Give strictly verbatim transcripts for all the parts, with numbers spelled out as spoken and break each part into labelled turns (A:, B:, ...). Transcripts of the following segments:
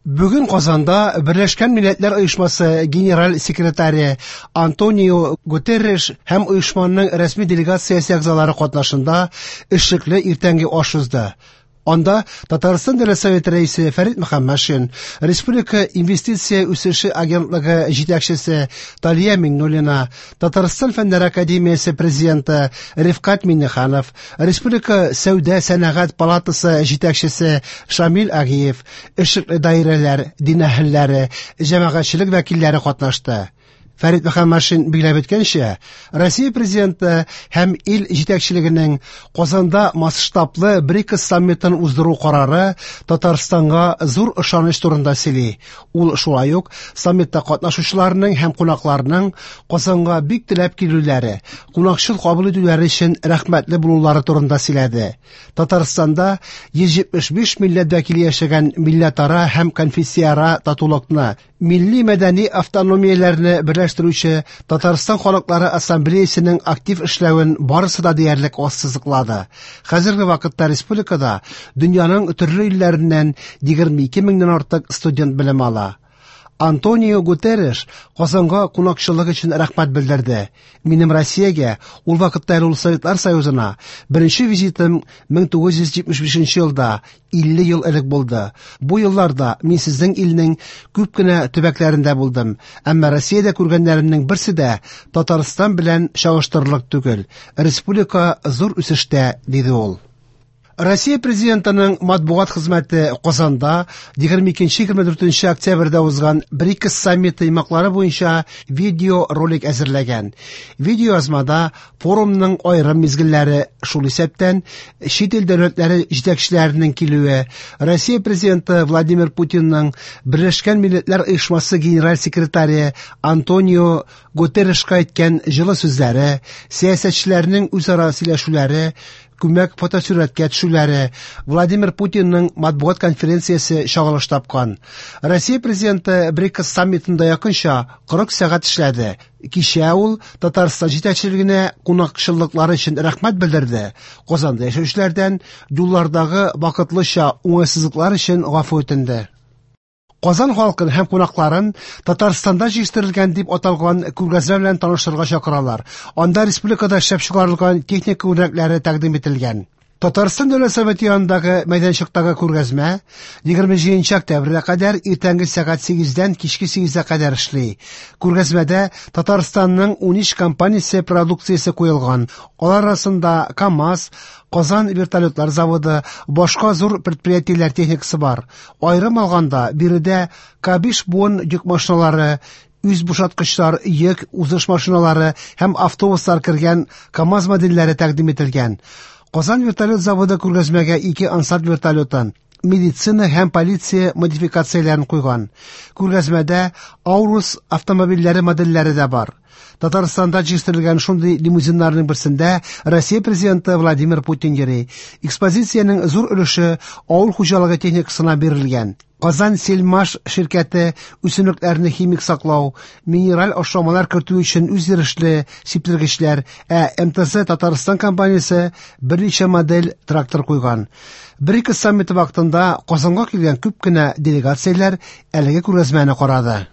A: Бүген Казанда Берләшкән Милләтләр Оешмасы генераль секретаре Антонио Гутерреш һәм оешманың рәсми делегациясе әгъзалары катнашында эшлекле иртәнге аш узды. Анда Татарстан Дәүләт Советы рәисе Фәрит Мөхәммәтшин, Республика инвестиция үсеше агентлыгы җитәкчесе Талия Миңнуллина, Татарстан Фәннәр академиясе президенты Рифкать Миңнеханов, Республика Сәүдә сәнәгать палатасы җитәкчесе Шамил Агиев, эшлекле даирәләр, дин әһелләре, җәмәгатьчелек вәкилләре катнашты. Фәрит Мөхәммәтшин билгеләп үткәнчә, Россия президенты һәм ил җитәкчелегенең Казанда масштаблы БРИКС саммитын уздыру карары Татарстанга зур ышаныч турында сөйли. Ул шулай ук саммитта катнашучыларның һәм кунакларның Казанга бик теләп килүләре, кунакчыл кабул итүләре өчен рәхмәтле булулары турында сөйләде. Татарстанда йөз җитмеш биш милләт вәкиле яшәгән милләтара һәм конфессияара татулыкны, милли мәдәни автономияләрне берләштерүче Татарстан халыклары ассамблеясының актив эшләвен барысы да диярлек ассызыклады. Хәзерге вакытта республикада дөньяның төрле илләреннән егерме ике меңнән артык студент белем ала. Антонио Гутерреш Казанга кунакчыллык өчен рәхмәт белдерде. Минем Россиягә, ул вакытта әле ул Советлар Союзына, беренче визитым мең тугыз йөз җитмеш бишенче елда, илле ел элек булды. Бу елларда мин сезнең илнең күп кенә төбәкләрендә булдым, әмма Россиядә күргәннәремнең берсе дә Татарстан белән чагыштырырлык түгел. Республика зур үсештә, диде ул. Россия президентының матбугат хезмәте Казанда егерме икенче егерме дүртенче октябрьдә узган БРИКС саммиты йомгаклары буенча видеоролик әзерләгән. Видеоязмада форумның аерым мизгелләре, шул исәптән чит ил дәүләтләре җитәкчеләренең килүе, Россия президенты Владимир Путинның Берләшкән Милләтләр Оешмасы генераль секретаре Антонио Гутеррешка әйткән җылы сүзләре, сәясәтчеләрнең үзара сөйләшүләре, күмәк фотосурәткә төшүләре, Владимир Путинның матбугат конференциясе чагылыш тапкан. Россия президенты БРИКС саммитында якынча кырык сәгать эшләде. Кичә ул Татарстан җитәкчелегенә кунакчыллыклары өчен рәхмәт белдерде. Казанда яшәүчеләрдән юллардагы вакытлыча уңайсызлыклар өчен гафу үтенде. Казан халкын һәм кунакларын Татарстанда җитештерелгән дип аталган күргәзмә белән таныштырырга чакыралар. Анда республикада эшләп чыгарылган техника үрнәкләре тәкъдим ителгән. Татарстан Дәүләт Советы янындагы мәйданчыктагы күргәзмә егерме җиденче октябрьгә кадәр иртәнге сәгать сигездән кичке сигезгә кадәр эшли. Күргәзмәдә Татарстанның унөч компаниясе продукциясе куелган. Алар арасында КАМАЗ, Казан вертолетлар заводы, башка зур предприятиеләр техникасы бар. Аерым алганда, биредә К биш буын йөк машиналары, үз бушаткычлар, йөк узыш машиналары һәм автобуслар кергән КАМАЗ модельләре тәкъдим ителгән. Казан вертолет заводы күргәзмәгә ике Ансат вертолетын, медицина һәм полиция модификацияләрен куйган. Күргәзмәдә Аурус автомобильләре модельләре дә бар. Татарстанда җитештерелгән шундый лимузиннарның берсендә Россия президенты Владимир Путин йөри. Экспозициянең зур өлеше авыл хуҗалыгы техникасына бирелгән. Казан Сельмаш ширкәте үсемлекләрне химик саклау, минераль ашламалар кертү өчен үзйөрешле сиптергечләр, ә М Т З Татарстан компаниясе берничә модель трактор куйган. БРИКС саммиты вакытында Казанга килгән күп кенә делегацияләр әлеге күргәзмәне карады.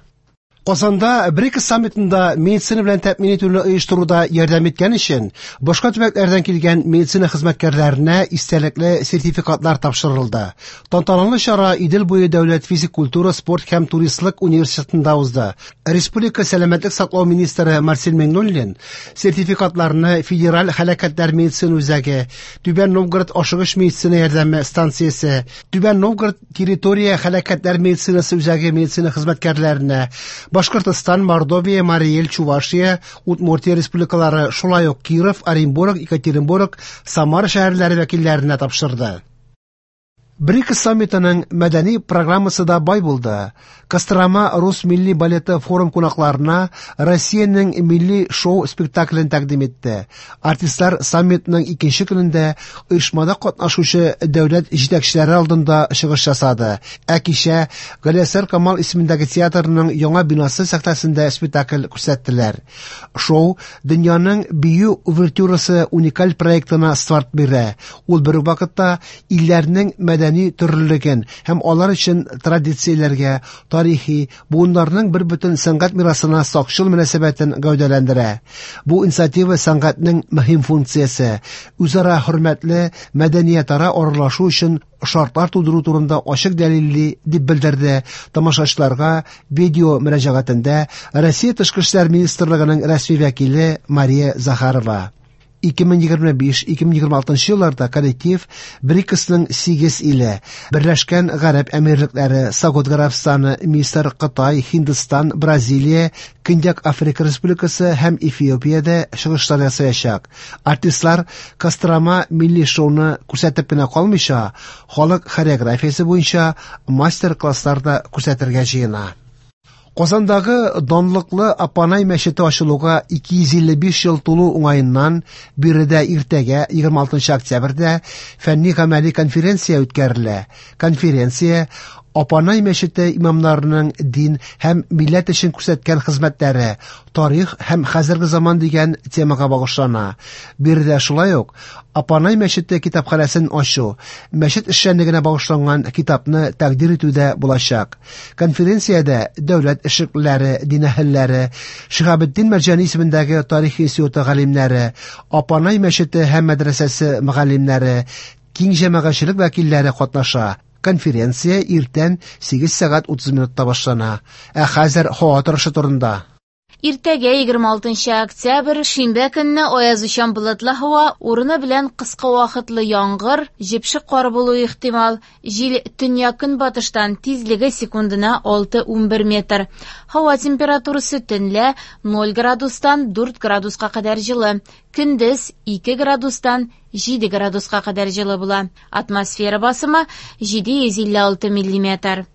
A: Казанда БРИКС саммитында медицина белән тәэмин итүне оештыруда ярдәм иткән өчен башка төбәкләрдән килгән медицина хезмәткәрләренә истәлекле сертификатлар тапшырылды. Тантаналы чара Идел буе дәүләт физик культура, спорт һәм туристлык университетында узды. Республика сәламәтлек саклау министры Марсель Миңнуллин сертификатларны Федераль һәлакәтләр медицина үзәге, Түбән Новгород ашыгыч медицина ярдәме станциясе, Түбән Новгород территория һәлакәтләр медицинасы үзәге медицина хезмәткәрләренә, Башкортостан, Мордовия, Марий Эл, Чувашия, Удмуртия республикалары, шулай ук Киров, Оренбург, Екатеринбург, Самара шәһәрләре вәкилләренә тапшырды. БРИКС саммитының мәдәни программасы да бай булды. Кострома рус милли балеты форум кунакларына Россиянең милли шоу спектаклен тәкъдим итте. Артистлар саммитның икенче көнендә оешмада катнашучы дәүләт җитәкчеләре алдында чыгыш ясады. Ә кичә Галиәсгар Камал исемендәге театрның яңа бинасы сәхнәсендә спектакль күрсәттеләр. Шоу дөньяның бию увертюрасы уникаль проектына старт бирә. Ул бер үк вакытта илләрнең мәдәни мәдәни төрлелеген һәм алар өчен традицияләргә, тарихи, буыннарның бер бөтен сәнгать мирасына сакчыл мөнәсәбәтен гәүдәләндерә. Бу инициатива сәнгатьнең мөһим функциясе, үзара хөрмәтле мәдәниятара аралашу өчен шартлар тудыру турында ачык дәлилли, дип белдерде тамашачыларга видео мөрәҗәгатендә Россия Тышкы эшләр министрлыгының рәсми вәкиле Мария Захарова. ике мең егерме биш-ике мең егерме алтынчы елларда коллектив БРИКСның сигез иле, Берләшкән Гарәп Әмирлекләре, Сауд Гарәбстаны, Мисыр, Кытай, Һиндстан, Бразилия, Көньяк Африка Республикасы һәм Эфиопиядә чыгышлар ясаячак. Артистлар Кострома милли шоуны күрсәтеп кенә калмыйча, халык хореографиясе буенча мастер-класслар да күрсәтергә җыена. Казандагы данлыклы Апанай мәчете ачылуга ике йөз илле биш ел тулу уңаеннан биредә иртәгә егерме алтынчы октябрьдә фәнни-гамәли конференция үткәрелә. Конференция Апанай мәчете имамнарының дин һәм милләт өчен күрсәткән хезмәтләре, тарих һәм хәзерге заман дигән темага багышлана. Биредә шулай ук Апанай мәчете китапханәсен ачу, мәчет эшчәнлегенә багышланган китапны тәкъдир итү дә булачак. Конференциядә дәүләт эшлеклеләре, дин әһелләре, Шиһабетдин Мәрҗани исемендәге тарих институты галимнәре, Апанай мәчете һәм мәдрәсәсе мөгаллимнәре, киң җәмәгатьчелек вәкилләре катнаша. Конференция иртән сигез сәгать утыз минутта башлана. Ә хәзер һава торышы турында.
B: Иртәгә егерме алтынчы октябрь, шимбә көнне аязучан болытлы һава, урыны белән кыска вакытлы яңгыр, җепшек кар булу ихтимал. Җил төньяк-көнбатыштан, тизлеге секундына алты унбер метр. Һава температурасы төнлә ноль градустан дүрт градуска кадәр җылы, көндез ике градустан җиде градуска кадәр җылы була. Атмосфера басымы җиде йөз илле алты миллиметр.